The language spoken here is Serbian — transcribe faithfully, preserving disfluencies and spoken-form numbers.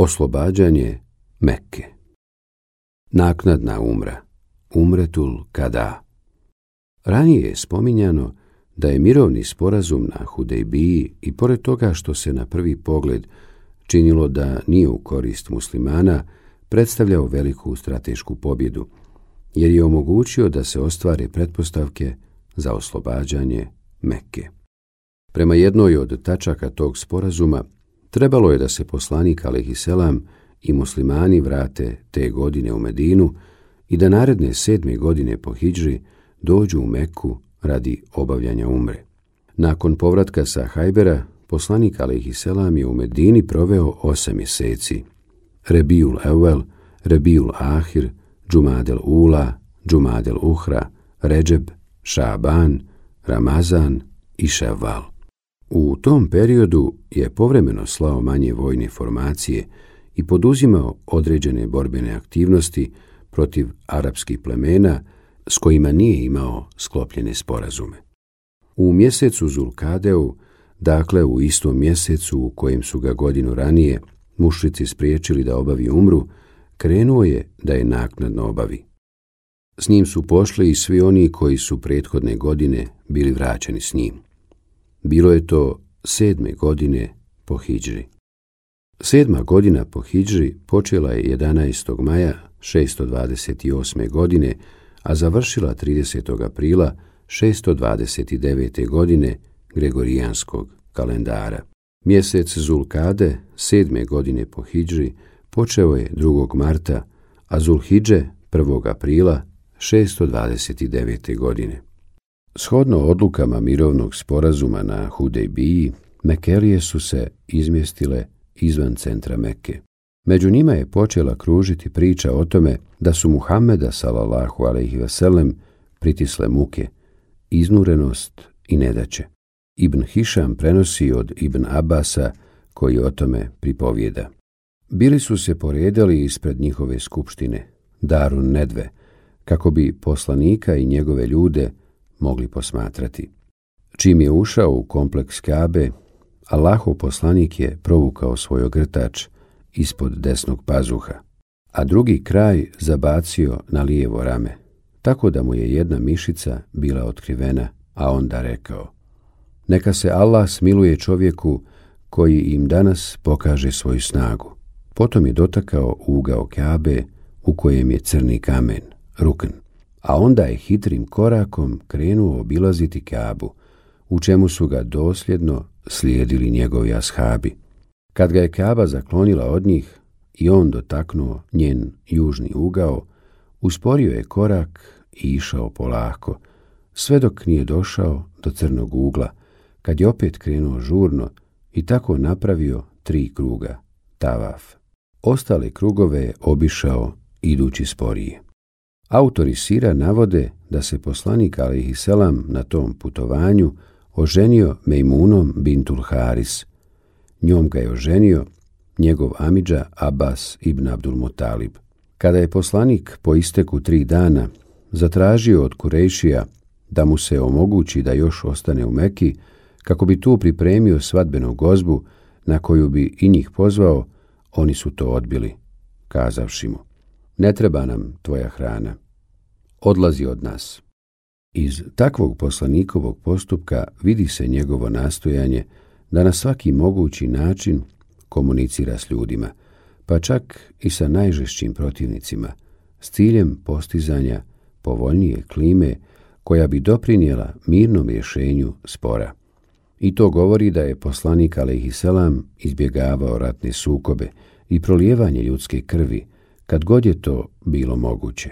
Oslobađanje Mekke. Naknadna umra, umretul kada. Ranije je spominjano da je mirovni sporazum na Hudejbiji i pored toga što se na prvi pogled činilo da nije u korist muslimana, predstavljao veliku stratešku pobjedu, jer je omogućio da se ostvare pretpostavke za oslobađanje Mekke. Prema jednoj od tačaka tog sporazuma, trebalo je da se poslanik alejhiselam i muslimani vrate te godine u Medinu i da naredne sedme godine po hidžri dođu u Mekku radi obavljanja umre. Nakon povratka sa Hajbera, poslanik alejhiselam je u Medini proveo osam mjeseci. Rebijul Evvel, Rebijul Ahir, Džumadel Ula, Džumadel Uhra, Redžeb, Šaban, Ramazan i Ševval. U tom periodu je povremeno slao manje vojne formacije i poduzimao određene borbene aktivnosti protiv arapskih plemena s kojima nije imao sklopljene sporazume. U mjesecu Zulkadeu, dakle u istom mjesecu u kojem su ga godinu ranije mušrici spriječili da obavi umru, krenuo je da je naknadno obavi. S njim su pošli i svi oni koji su prethodne godine bili vraćeni s njim. Bilo je to sedme godine po hidžri. Sedma godina po hidžri počela je jedanaestog maja šesto dvadeset osme godine, a završila tridesetog aprila šesto dvadeset devete godine Gregorijanskog kalendara. Mjesec Zulkade sedme godine po hidžri počeo je drugog marta, a Zulhidže prvog aprila šesto dvadeset devete godine. Shodno odlukama mirovnog sporazuma na Hudejbiji, Mekelije su se izmjestile izvan centra Mekke. Među njima je počela kružiti priča o tome da su Muhameda sallallahu alejhi ve sellem pritisle muke, iznurenost i nedaće. Ibn Hišam prenosi od Ibn Abasa, koji o tome pripovijeda. Bili su se poredali ispred njihove skupštine, Darun Nedve, kako bi poslanika i njegove ljude mogli posmatrati. Čim je ušao u kompleks Kabe, Allahov poslanik je provukao svoj ogrtač ispod desnog pazuha, a drugi kraj zabacio na lijevo rame, tako da mu je jedna mišica bila otkrivena, a onda rekao: neka se Allah smiluje čovjeku koji im danas pokaže svoju snagu. Potom je dotakao ugao Kabe u kojem je crni kamen, rukn, a onda je hitrim korakom krenuo obilaziti Kabu, u čemu su ga dosljedno slijedili njegovi ashabi. Kad ga je Kaba zaklonila od njih i on dotaknuo njen južni ugao, usporio je korak i išao polako, sve dok nije došao do crnog ugla, kad je opet krenuo žurno i tako napravio tri kruga, tavaf. Ostale krugove je obišao idući sporije. Autori sira navode da se poslanik alejhiselam na tom putovanju oženio Mejmunom bintul Haris. Njom ga je oženio njegov amidža Abbas ibn Abdul Mutalib. Kada je poslanik po isteku tri dana zatražio od Kurejšija da mu se omogući da još ostane u Meki, kako bi tu pripremio svadbenu gozbu na koju bi i njih pozvao, oni su to odbili, kazavši mu: ne treba nam tvoja hrana, odlazi od nas. Iz takvog poslanikovog postupka vidi se njegovo nastojanje da na svaki mogući način komunicira s ljudima, pa čak i sa najžešćim protivnicima, s ciljem postizanja povoljnije klime koja bi doprinijela mirnom rješenju spora. I to govori da je poslanik alejhiselam izbjegavao ratne sukobe i prolijevanje ljudske krvi kad god je to bilo moguće.